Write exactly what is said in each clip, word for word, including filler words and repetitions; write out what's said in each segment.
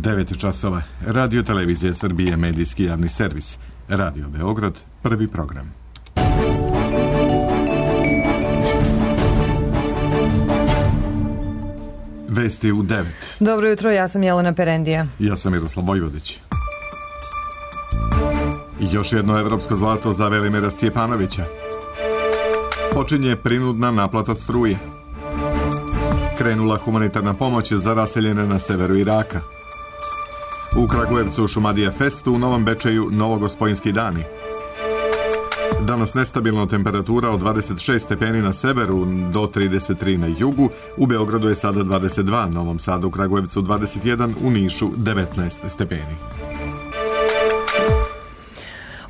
devet časova. Radio Televizija Srbije, medijski javni servis. Radio Beograd, prvi program. Vesti u devet. Dobro jutro, ja sam Jelena Perendija. Ja sam Miroslav Vojvodić. Još jedno evropsko zlato za Velimira Stjepanovića. Počinje prinudna naplata struje. Krenula humanitarna pomoć za raseljene na severu Iraka. U Kragujevcu Šumadija Festu, u Novom Bečeju Novogospojinski dani. Danas nestabilna temperatura od dvadeset šest stepeni na severu do trideset tri na jugu. U Beogradu je sada dvadeset dva, Novom Sadu, u Kragujevcu dvadeset jedan, u Nišu devetnaest stepeni.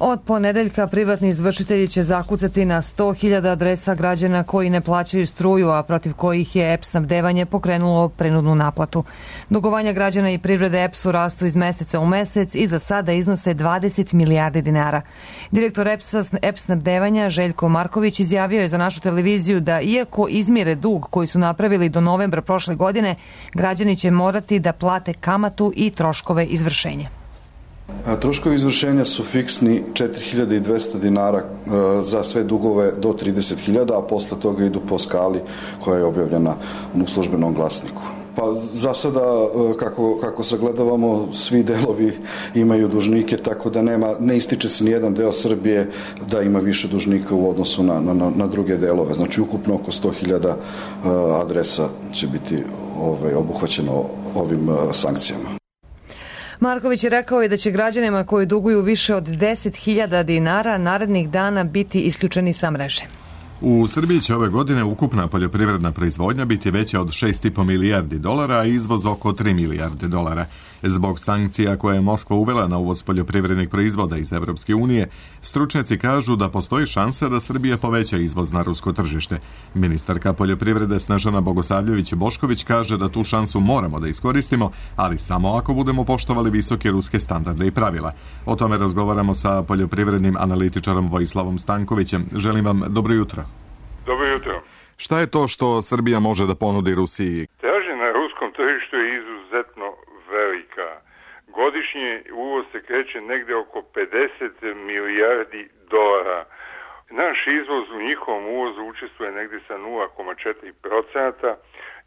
Od ponedeljka privatni izvršitelji će zakucati na sto hiljada adresa građana koji ne plaćaju struju, a protiv kojih je E P snabdevanje pokrenulo prinudnu naplatu. Dugovanja građana i privrede E P S-u rastu iz meseca u mesec i za sada iznose dvadeset milijardi dinara. Direktor E P snabdevanja Željko Marković izjavio je za našu televiziju da iako izmire dug koji su napravili do novembra prošle godine, građani će morati da plate kamatu i troškove izvršenja. Troškovi izvršenja su fiksni četiri hiljade dvesta dinara za sve dugove do trideset hiljada, a posle toga idu po skali koja je objavljena u službenom glasniku. Pa za sada, kako, kako sagledavamo, svi delovi imaju dužnike, tako da nema, ne ističe se nijedan deo Srbije da ima više dužnika u odnosu na, na, na druge delove. Znači, ukupno oko sto hiljada adresa će biti ovaj, obuhvaćeno ovim sankcijama. Marković je rekao i da će građanima koji duguju više od deset hiljada dinara narednih dana biti isključeni sa mreže. U Srbiji će ove godine ukupna poljoprivredna proizvodnja biti veća od šest i po milijardi dolara, a izvoz oko tri milijarde dolara. Zbog sankcija koje je Moskva uvela na uvoz poljoprivrednih proizvoda iz Evropske unije, stručnjaci kažu da postoji šansa da Srbija poveća izvoz na rusko tržište. Ministarka poljoprivrede Snežana Bogosavljević-Bošković kaže da tu šansu moramo da iskoristimo, ali samo ako budemo poštovali visoke ruske standarde i pravila. O tome razgovaramo sa poljoprivrednim analitičarom Vojislavom Stankovićem. Želim vam dobro jutro. Dobro jutro. Šta je to što Srbija može da ponudi Rusiji? Tražnja na ruskom tržištu je izuzetno velika. Godišnje uvoz se kreće negde oko pedeset milijardi dolara. Naš izvoz u njihovom uvozu učestvuje negde sa nula zarez četiri procenta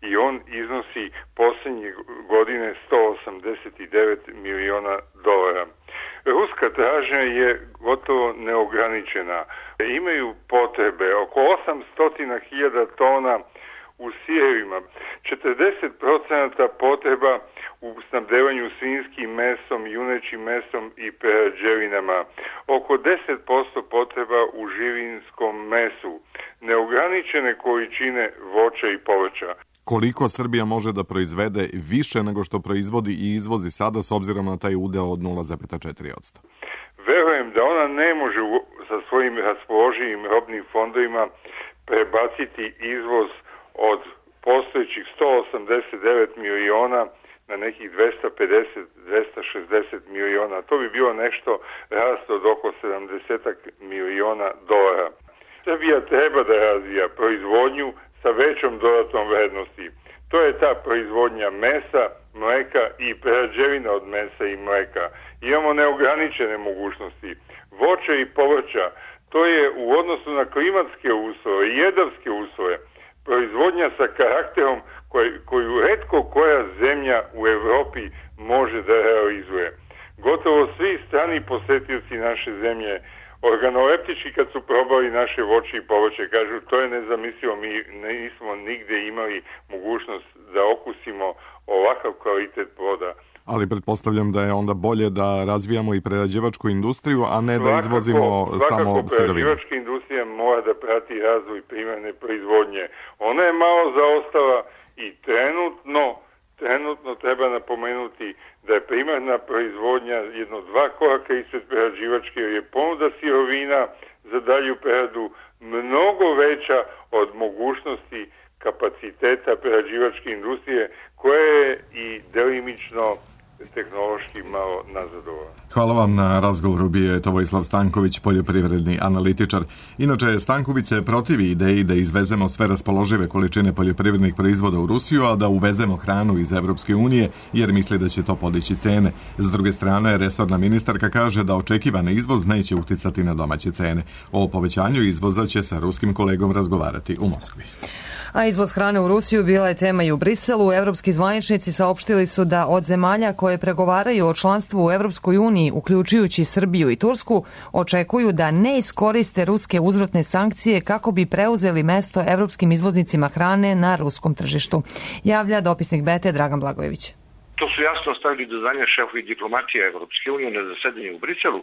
i on iznosi posljednje godine sto osamdeset devet miliona dolara. Ruska tražnja je gotovo neograničena. Imaju potrebe oko osamsto hiljada tona u sirevima, četrdeset procenta potreba u snabdevanju svinjskim mesom, junećim mesom i prerađevinama, oko deset posto potreba u živinskom mesu, neograničene količine voća i povrća. Koliko Srbija može da proizvede više nego što proizvodi i izvozi sada s obzirom na taj udeo od nula zarez četiri posto? Verujem da ona ne može sa svojim raspoloživim robnim fondovima prebaciti izvoz od postojećih sto osamdeset devet miliona na nekih dvesta pedeset do dvesta šezdeset miliona. To bi bilo nešto rast od oko sedamdeset miliona dolara. Srbija treba da razvija proizvodnju sa većom dodatnom vrednosti. To je ta proizvodnja mesa, mleka i prerađevina od mesa i mleka. Imamo neograničene mogućnosti. Voća i povrća, to je u odnosu na klimatske uslove i jedavske uslove proizvodnja sa karakterom koj, koju retko koja zemlja u Evropi može da realizuje. Gotovo svi strani posetioci naše zemlje organoleptički kad su probali naše voće i povrće, kažu to je nezamislivo, mi nismo nigde imali mogućnost da okusimo ovakav kvalitet ploda. Ali pretpostavljam da je onda bolje da razvijamo i prerađivačku industriju, a ne da svakako, izvozimo svakako samo sirovine. Prerađivačka industrija mora da prati razvoj primarne proizvodnje. Ona je malo zaostala i trenutno, trenutno treba napomenuti da je primarna proizvodnja jedno dva koraka ispred prerađivačke, jer je ponuda sirovina za dalju preradu mnogo veća od mogućnosti kapaciteta prerađivačke industrije, koja je i delimično tehnološki malo nazadovao. Hvala vam na razgovoru, bio je to Vojislav Stanković, poljoprivredni analitičar. Inače, Stanković se protivi ideji da izvezemo sve raspoložive količine poljoprivrednih proizvoda u Rusiju, a da uvezemo hranu iz Evropske unije, jer misli da će to podići cene. S druge strane, resorna ministarka kaže da očekivani izvoz neće uticati na domaće cene. O povećanju izvoza će sa ruskim kolegom razgovarati u Moskvi. A izvoz hrane u Rusiju bila je tema i u Briselu. Evropski zvaničnici saopštili su da od zemalja koje pregovaraju o članstvu u Evropskoj uniji, uključujući Srbiju i Tursku, očekuju da ne iskoriste ruske uzvratne sankcije kako bi preuzeli mesto evropskim izvoznicima hrane na ruskom tržištu. Javlja dopisnik Bete Dragan Blagojević. To su jasno stavili do znanja šefovi diplomatije Evropske unije na zasedanju u Briselu,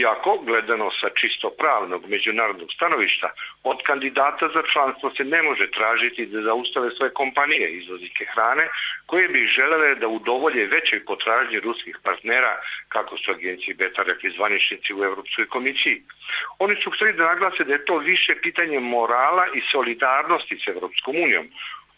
iako, gledano sa čisto pravnog međunarodnog stanovišta, od kandidata za članstvo se ne može tražiti da zaustave svoje kompanije izvoznike hrane, koje bi želele da udovolje većoj potražnji ruskih partnera, kako su agenciji Beta rekli zvaničnici u Evropskoj komisiji. Oni su htjeli da naglase da je to više pitanje morala i solidarnosti s Evropskom unijom.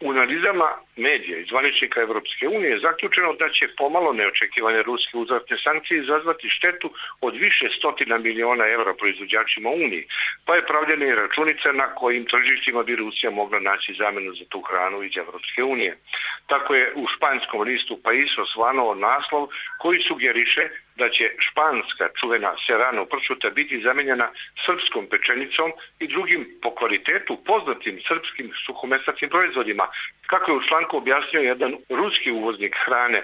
U analizama medija i zvaničnika Evropske unije je zaključeno da će pomalo neočekivane ruske uzvratne sankcije izazvati štetu od više stotina miliona evra proizvođačima Uniji, pa je pravljena i računica na kojim tržištima bi Rusija mogla naći zamenu za tu hranu iz Evropske unije. Tako je u španskom listu Pais osvanuo naslov koji sugeriše da će španska čuvena serrano pršuta biti zamenjena srpskom pečenicom i drugim po kvalitetu poznatim srpskim suhomesnatim proizvodima, kako je u članku objasnio jedan ruski uvoznik hrane.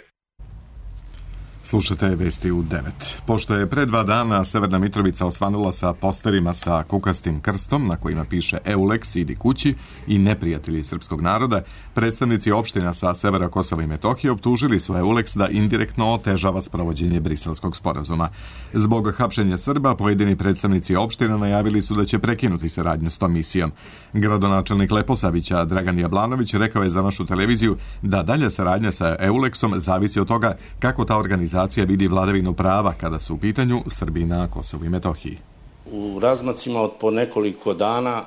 Slušate vesti u devet. Pošto je pre dva dana Severna Mitrovica osvanula sa posterima sa kukastim krstom na kojima piše Eulex, idi kući i neprijatelji srpskog naroda, predstavnici opština sa severa Kosova i Metohije optužili su Eulex da indirektno otežava sprovođenje Briselskog sporazuma. Zbog hapšenja Srba, pojedini predstavnici opština najavili su da će prekinuti saradnju s tom misijom. Gradonačelnik Leposavića Dragan Jablanović rekao je za našu televiziju da dalja saradnja sa Eulexom zavisi od toga kako ta organizacija Organizacija vidi vladavinu prava kada su u pitanju Srbi na Kosovu i Metohiji. U razmacima od po nekoliko dana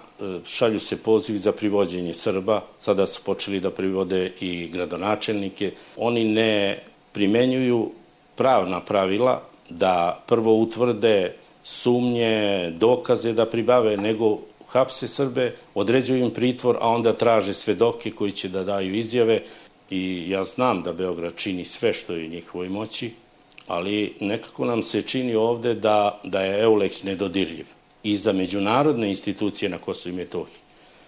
šalju se pozivi za privođenje Srba. Sada su počeli da privode i gradonačelnike. Oni ne primenjuju pravna pravila da prvo utvrde sumnje, dokaze da pribave, nego hapse Srbe, određuju im pritvor, a onda traže svedoke koji će da daju izjave. I ja znam da Beograd čini sve što je u njihovoj moći, ali nekako nam se čini ovde da, da je Eulex nedodirljiv. I za međunarodne institucije na Kosovu i Metohiji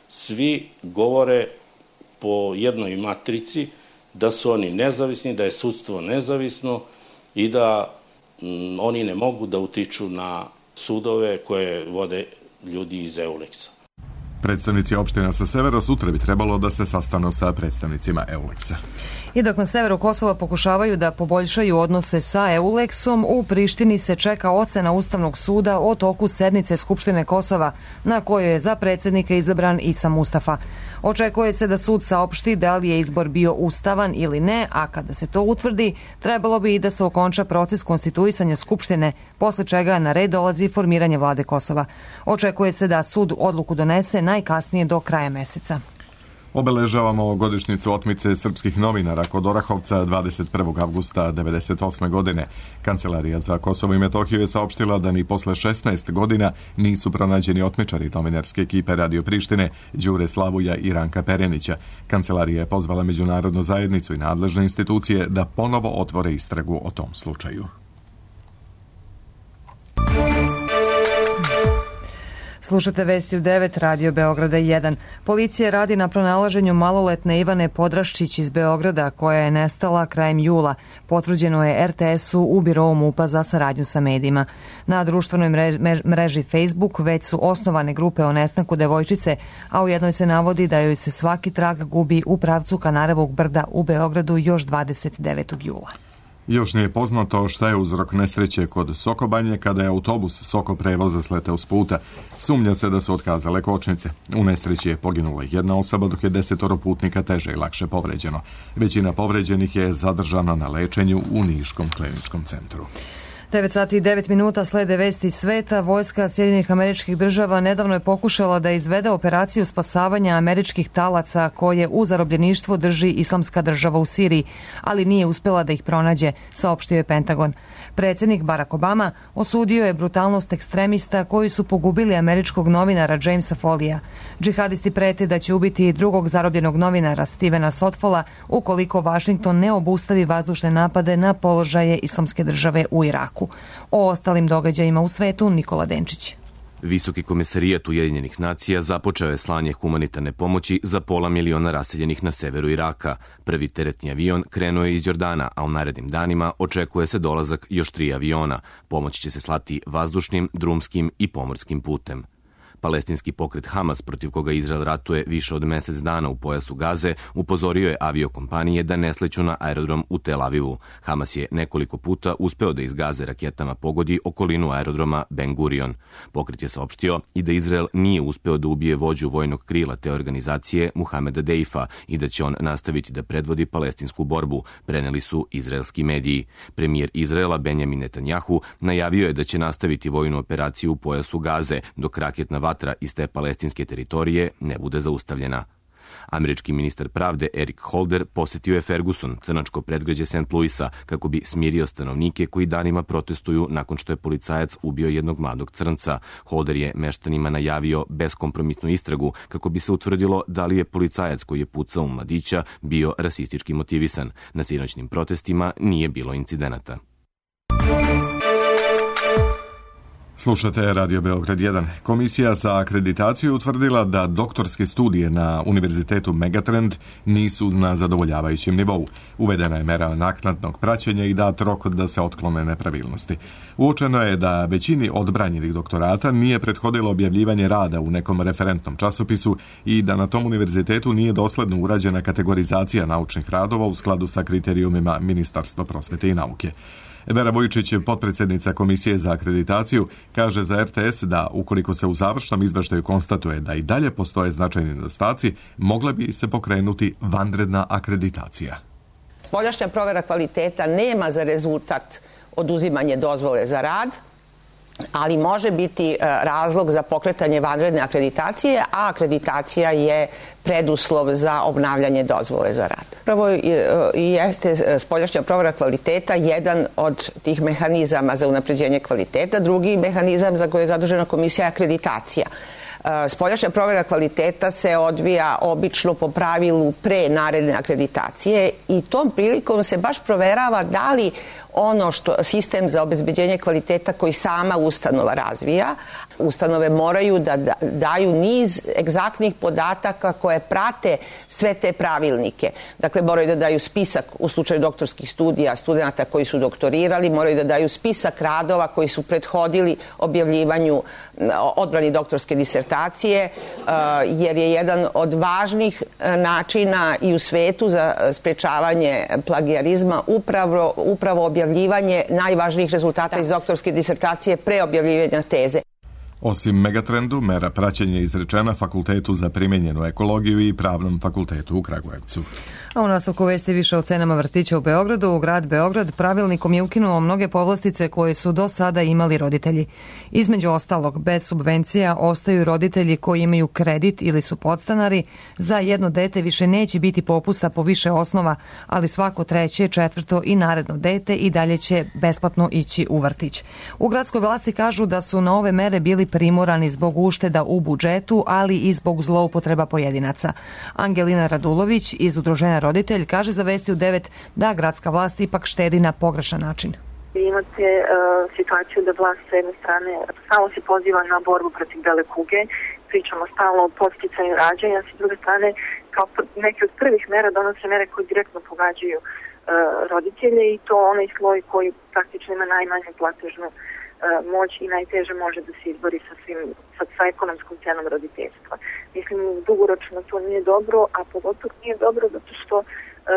svi govore po jednoj matrici da su oni nezavisni, da je sudstvo nezavisno i da m, oni ne mogu da utiču na sudove koje vode ljudi iz Eulexa. Predstavnici opština sa severa sutra bi trebalo da se sastanu sa predstavnicima Eulexa. I dok na severu Kosova pokušavaju da poboljšaju odnose sa Eulexom, u Prištini se čeka ocena Ustavnog suda o toku sednice Skupštine Kosova, na kojoj je za predsjednika izabran Isa Mustafa. Očekuje se da sud saopšti da li je izbor bio ustavan ili ne, a kada se to utvrdi, trebalo bi i da se okonča proces konstituisanja Skupštine, posle čega na red dolazi formiranje vlade Kosova. Očekuje se da sud odluku donese najkasnije do kraja meseca. Obeležavamo godišnjicu otmice srpskih novinara kod Orahovca dvadeset prvog avgusta devedeset osme. godine. Kancelarija za Kosovo i Metohiju je saopštila da ni posle šesnaest godina nisu pronađeni otmičari novinarske ekipe Radio Prištine, Đure Slavuja i Ranka Perenića. Kancelarija je pozvala međunarodnu zajednicu i nadležne institucije da ponovo otvore istragu o tom slučaju. Slušate vesti u devet, Radio Beograda jedan. Policija radi na pronalaženju maloletne Ivane Podraščić iz Beograda, koja je nestala krajem jula. Potvrđeno je er te esu u birovu MUP-a za saradnju sa medijima. Na društvenoj mreži Facebook već su osnovane grupe o nestanku devojčice, a u jednoj se navodi da joj se svaki trag gubi u pravcu Kanarevog brda u Beogradu još dvadeset devetog jula. Još nije poznato šta je uzrok nesreće kod Sokobanje kada je autobus Soko prevoza sleteo s puta. Sumnja se da su otkazale kočnice. U nesreći je poginula jedna osoba, dok je desetoro putnika teže i lakše povređeno. Većina povređenih je zadržana na lečenju u Niškom kliničkom centru. devet sati i devet minuta slede vesti iz sveta. Vojska Sjedinjenih Američkih Država nedavno je pokušala da izvede operaciju spasavanja američkih talaca koje u zarobljeništvu drži Islamska država u Siriji, ali nije uspjela da ih pronađe, saopštio je Pentagon. Predsjednik Barack Obama osudio je brutalnost ekstremista koji su pogubili američkog novinara Jamesa Folija. Džihadisti prete da će ubiti drugog zarobljenog novinara Stevena Sotfola ukoliko Washington ne obustavi vazdušne napade na položaje Islamske države u Iraku. O ostalim događajima u svetu Nikola Denčić. Visoki komesarijat Ujedinjenih nacija započeo je slanje humanitarne pomoći za pola miliona raseljenih na severu Iraka. Prvi teretni avion krenuo je iz Jordana, a u narednim danima očekuje se dolazak još tri aviona. Pomoć će se slati vazdušnim, drumskim i pomorskim putem. Palestinski pokret Hamas, protiv koga Izrael ratuje više od mjesec dana u pojasu Gaze, upozorio je aviokompanije da ne sleću na aerodrom u Tel Avivu. Hamas je nekoliko puta uspeo da iz Gaze raketama pogodi okolinu aerodroma Ben Gurion. Pokret je saopštio i da Izrael nije uspeo da ubije vođu vojnog krila te organizacije Muhameda Deifa i da će on nastaviti da predvodi palestinsku borbu, preneli su izraelski mediji. Premijer Izraela Benjamin Netanjahu najavio je da će nastaviti vojnu operaciju u pojasu Gaze dok raketna vatra iz te palestinske teritorije ne bude zaustavljena. Američki ministar pravde Eric Holder posjetio je Ferguson, crnačko predgrađe Saint Louisa, kako bi smirio stanovnike koji danima protestuju nakon što je policajac ubio jednog mladog crnca. Holder je meštanima najavio beskompromisnu istragu kako bi se utvrdilo da li je policajac koji je pucao u mladića bio rasistički motivisan. Na sinoćnim protestima nije bilo incidenata. Slušate Radio Beograd jedan. Komisija za akreditaciju utvrdila da doktorske studije na Univerzitetu Megatrend nisu na zadovoljavajućem nivou. Uvedena je mera naknadnog praćenja i dat rok da se otklone nepravilnosti. Uočeno je da većini odbranjenih doktorata nije prethodilo objavljivanje rada u nekom referentnom časopisu i da na tom univerzitetu nije dosledno urađena kategorizacija naučnih radova u skladu sa kriterijumima Ministarstva prosvete i nauke. Vera Vojčić, potpredsjednica Komisije za akreditaciju, kaže za R T S da ukoliko se u završnom izveštaju konstatuje da i dalje postoje značajni nedostaci, mogla bi se pokrenuti vanredna akreditacija. Spoljašnja provera kvaliteta nema za rezultat oduzimanje dozvole za rad, ali može biti razlog za pokretanje vanredne akreditacije, a akreditacija je preduslov za obnavljanje dozvole za rad. Prvo i jeste spoljašnja provera kvaliteta jedan od tih mehanizama za unapređenje kvaliteta, drugi mehanizam za koji je zadužena komisija je akreditacija. Spoljašnja provera kvaliteta se odvija obično po pravilu pre naredne akreditacije i tom prilikom se baš proverava da li ono što sistem za obezbeđenje kvaliteta koji sama ustanova razvija, ustanove moraju da daju niz egzaktnih podataka koje prate sve te pravilnike. Dakle, moraju da daju spisak u slučaju doktorskih studija studenta koji su doktorirali, moraju da daju spisak radova koji su prethodili objavljivanju odbrani doktorske disertacije, jer je jedan od važnih načina i u svetu za sprečavanje plagijarizma upravo, upravo objavljivanje najvažnijih rezultata iz doktorske disertacije pre objavljivanja teze. Osim Megatrendu, mera praćenja izrečena Fakultetu za primijenjenu ekologiju i Pravnom fakultetu u Kragujevcu. A u nastavku vesti više o cenama vrtića u Beogradu. Grad Beograd pravilnikom je ukinuo mnoge povlastice koje su do sada imali roditelji. Između ostalog, bez subvencija ostaju roditelji koji imaju kredit ili su podstanari. Za jedno dete više neće biti popusta po više osnova, ali svako treće, četvrto i naredno dete i dalje će besplatno ići u vrtić. U gradskoj vlasti kažu da su na ove mere bili primorani zbog ušteda u budžetu, ali i zbog zloupotreba pojedinaca. Angelina Radulović iz Udruženja Roditelj kaže za Vesti u devet da gradska vlast ipak štedi na pogrešan način. Imate uh, situaciju da vlast s jedne strane stalno se poziva na borbu protiv bele kuge, pričamo stalno o podsticanju rađanja, s druge strane kao neke od prvih mera donose mere koje direktno pogađaju uh, roditelje i to onaj sloj koji praktično ima najmanju platežnu uh, moć i najteže može da se izbori sa, svim, sa, sa ekonomskom cenom roditeljstva. Mislim, dugoročno to nije dobro, a pogotovo nije dobro zato što uh,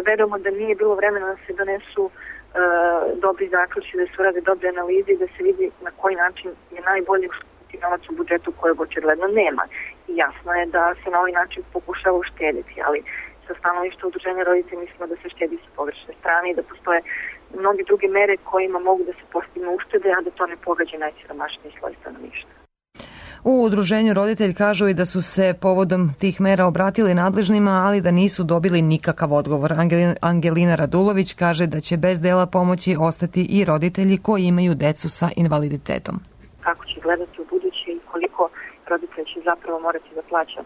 verujemo da nije bilo vremena da se donesu uh, dobri zaključci, da se urade dobre analize i da se vidi na koji način je najbolje uštediti novac u budžetu kojeg očigledno nema. I jasno je da se na ovaj način pokušava uštediti, ali sa stanovišta udruženja roditelja mislimo da se štedi sa pogrešne strane i da postoje mnogi druge mere kojima mogu da se postignu uštede, a da to ne pogađa najsiromašniji sloj stanovništva. U udruženju roditelj kažu i da su se povodom tih mera obratili nadležnima, ali da nisu dobili nikakav odgovor. Angelina Radulović kaže da će bez dela pomoći ostati i roditelji koji imaju decu sa invaliditetom. Kako će gledati u buduće i koliko roditelj će zapravo morati da plaća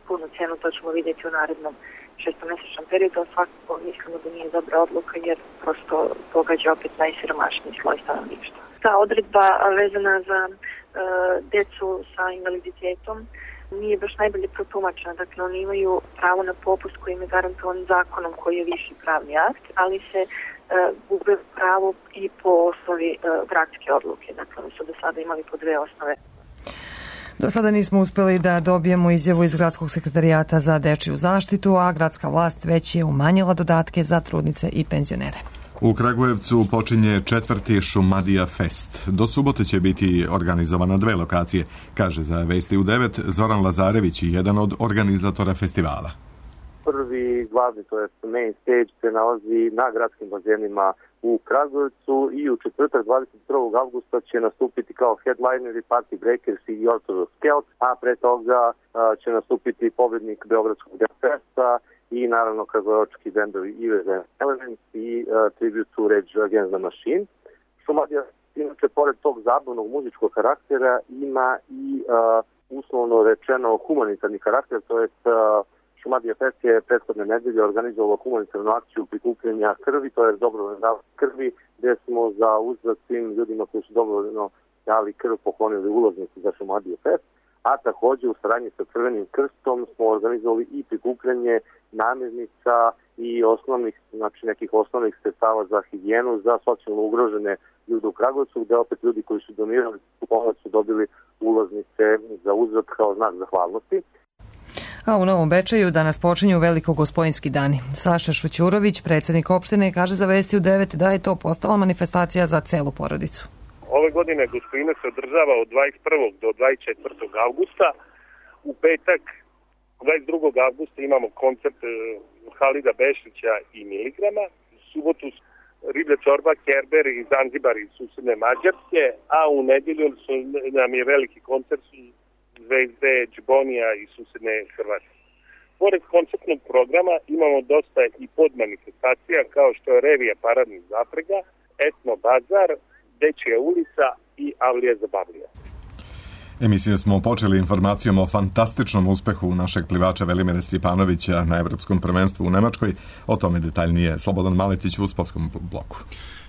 punu cenu, to ćemo vidjeti u narednom šestomesečnom periodu, a svakako mislimo da nije dobra odluka jer prosto pogađa opet najsiromašniji sloj stanovništva. Ta odredba vezana za e, decu sa invaliditetom nije baš najbolje protumačena. Dakle, oni imaju pravo na popust koji im je garantovan zakonom koji je viši pravni akt, ali se e, gube pravo i po osnovi e, gradske odluke. Dakle, oni su do sada imali po dve osnove. Do sada nismo uspeli da dobijemo izjavu iz Gradskog sekretarijata za dečiju zaštitu, a gradska vlast već je umanjila dodatke za trudnice i penzionere. U Kragujevcu počinje četvrti Šumadija Fest. Do subote će biti organizovana dve lokacije, kaže za Vesti u devet Zoran Lazarević, jedan od organizatora festivala. Prvi glavni, to je main stage, se nalazi na gradskim bazenima u Kragujevcu i u četvrtak dvadeset prvog avgusta će nastupiti kao headlineri Party Breakers i Orthodox Scout, a pre toga a, će nastupiti pobednik Beogradskog Festa i naravno kragujevački bendovi Evil Elements i uh, Tribute to Rage Against the Machine. Šumadija, inače, pored tog zabavnog muzičkog karaktera, ima i uh, uslovno rečeno humanitarni karakter, to je uh, Šumadija Fest je prethodne nedelje organizovalo humanitarnu akciju prikupljanja krvi, to je dobrovoljno davanje krvi, gde smo za uzvrat svim ljudima koji su dobrovoljno dali krv poklonili ulaznicu za Šumadija Fest, a takođe u saradnji sa Crvenim krstom smo organizovali i prikupljanje namirnica i osnovnih, znači nekih osnovnih sredstava za higijenu za socijalno ugrožene ljude u Kragujevcu, gde opet ljudi koji su donirali pomoć su dobili ulaznice za uzvrat kao znak zahvalnosti. A u Novom Bečeju danas počinju velikogospojinski dani. Saša Šućurović, predsjednik opštine, kaže za Vesti u devet da je to postala manifestacija za celu porodicu. Ove godine Gospojina se održava od dvadeset prvog do dvadeset četvrtog avgusta. U petak dvadeset drugog avgusta imamo koncert Halida Bešića i Miligrama. U subotu Riblja čorba, Kerber i Zanzibar iz susedne Mađarske, a u nedelju su, nam je veliki koncert Zvezde Džbonija iz susedne Hrvatske. Pored koncertnog programa imamo dosta i podmanifestacija kao što je revija paradnih zaprega, etno bazar, Dečija ulica i Avlija zabavlija. Emisiju smo počeli informacijom o fantastičnom uspehu našeg plivača Velimira Stjepanovića na Evropskom prvenstvu u Nemačkoj. O tome detaljnije Slobodan Maletić u sportskom bloku.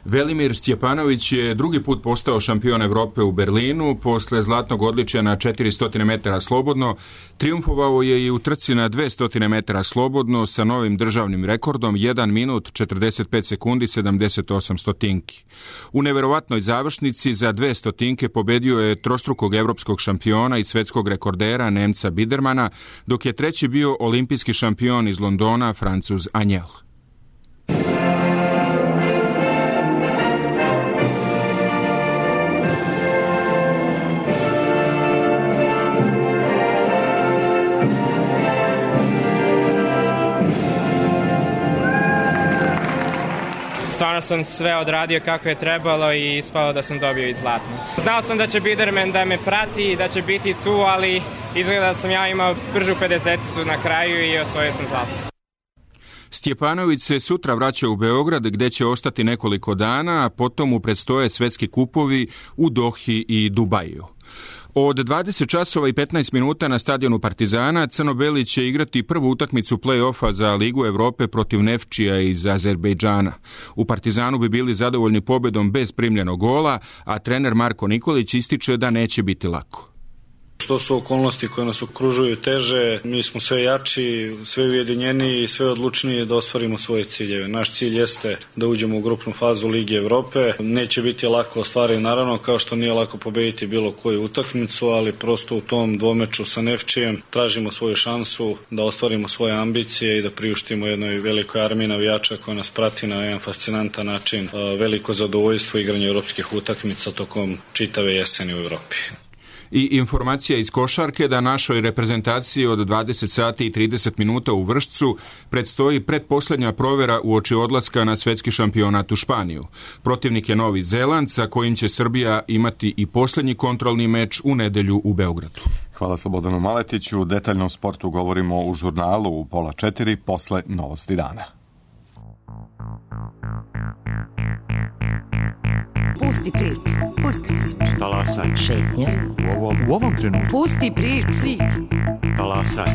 Velimir Stjepanović je drugi put postao šampion Evrope u Berlinu. Posle zlatnog odličja na četiristo metara slobodno, triumfovao je i u trci na dvesta metara slobodno sa novim državnim rekordom jedan minut četrdeset pet sekundi sedamdeset osam stotinki. U neverovatnoj završnici za dve stotinke pobedio je trostrukog evropskog šampiona i svetskog rekordera Nemca Bidermana, dok je treći bio olimpijski šampion iz Londona Francuz Anjel. Stvarno sam sve odradio kako je trebalo i ispalo da sam dobio i zlatno. Znao sam da će Biderman da me prati i da će biti tu, ali izgleda da sam ja imao bržu pedeseticu na kraju i osvojio sam zlatno. Stjepanović se sutra vraća u Beograd gde će ostati nekoliko dana, a potom mu predstoje svetski kupovi u Dohi i Dubaju. Od dvadeset časova i petnaest minuta na stadionu Partizana Crno-Beli će igrati prvu utakmicu play-offa za Ligu Evrope protiv Nefčija iz Azerbejdžana. U Partizanu bi bili zadovoljni pobedom bez primljenog gola, a trener Marko Nikolić ističe da neće biti lako. Što su okolnosti koje nas okružuju teže, mi smo sve jači, sve ujedinjeniji i sve odlučniji da ostvarimo svoje ciljeve. Naš cilj jeste da uđemo u grupnu fazu Lige Evrope. Neće biti lako ostvariti, naravno, kao što nije lako pobediti bilo koju utakmicu, ali prosto u tom dvomeču sa Nefčijem tražimo svoju šansu da ostvarimo svoje ambicije i da priuštimo jednoj velikoj armiji navijača koja nas prati na jedan fascinantan način. Veliko zadovoljstvo igranja evropskih utakmica tokom čitave jeseni u Evropi. I informacija iz košarke da našoj reprezentaciji od dvadeset sati i trideset minuta u Vršcu predstoji pretposlednja provera uoči odlaska na svetski šampionat u Španiju. Protivnik je Novi Zeland sa kojim će Srbija imati i poslednji kontrolni meč u nedelju u Beogradu. Hvala Slobodanu Maletiću. Detaljno o sportu govorimo u žurnalu u pola četiri posle novosti dana. Pusti priču, pusti priču. Talasaj. Šetnja. U ovom, u ovom trenutku. Pusti priču. Talasaj.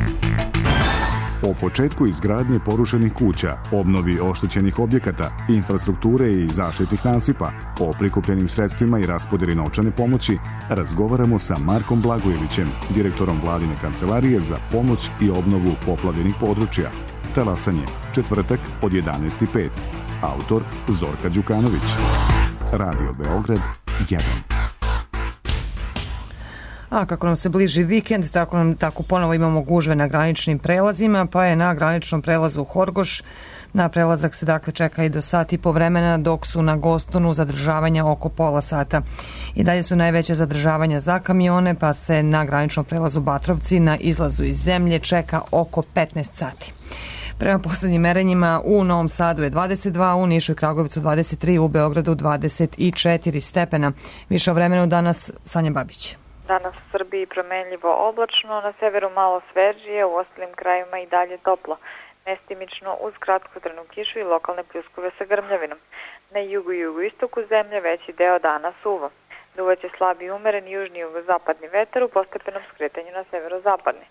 O početku izgradnje porušenih kuća, obnovi oštećenih objekata, infrastrukture i zaštitnih nasipa, o prikupljenim sredstvima i raspodeli novčane pomoći, razgovaramo sa Markom Blagojevićem, direktorom vladine kancelarije za pomoć i obnovu poplavljenih područja. Talasanje, četvrtak od jedanaest i pet. Autor Zorka Đukanović. Radio Beograd jedan. A kako nam se bliži vikend, tako, nam, tako ponovo imamo gužve na graničnim prelazima, pa je na graničnom prelazu Horgoš na prelazak se dakle čeka i do sat i po vremena, dok su na Gostonu zadržavanja oko pola sata. I dalje su najveće zadržavanja za kamione, pa se na graničnom prelazu Batrovci na izlazu iz zemlje čeka oko petnaest sati. Prema poslednjim merenjima u Novom Sadu je dvadeset dva, u Nišu i Kragujevcu dvadeset tri, u Beogradu dvadeset četiri stepena. Više o vremenu danas Sanja Babić. Danas u Srbiji promenljivo oblačno, na severu malo svežije, u ostalim krajima i dalje toplo. Mestimično uz kratkotrajnu kišu i lokalne pljuskove sa grmljavinom. Na jugu i jugoistoku zemlje veći deo dana suvo. Duvaće slabi umeren južni i jugozapadni vetar u postepenom skretanju na severozapadni.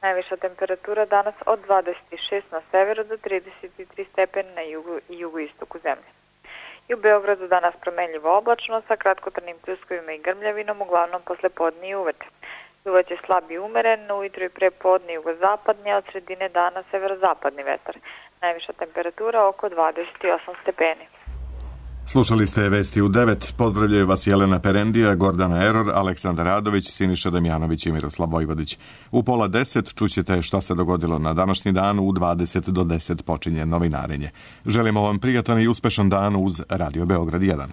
Najviša temperatura danas od dvadeset šest na severu do trideset tri stepena na jugu i jugoistoku zemlje. I u Beogradu danas promenljivo oblačno sa kratkotrajnim pljuskovima i grmljavinom, uglavnom posle podne i uveče. Duvaće slabi umeren, ujutro i pre podne jugozapadni, a od sredine dana severozapadni vetar. Najviša temperatura oko dvadeset osam stepeni. Slušali ste Vesti u devet. Pozdravljaju vas Jelena Perendija, Gordana Eror, Aleksandar Radović, Siniša Damjanović i Miroslav Vojvodić. U pola deset čućete šta se dogodilo na današnji dan, u dvadeset do deset počinje novinarenje. Želimo vam prijatan i uspešan dan uz Radio Beograd jedan.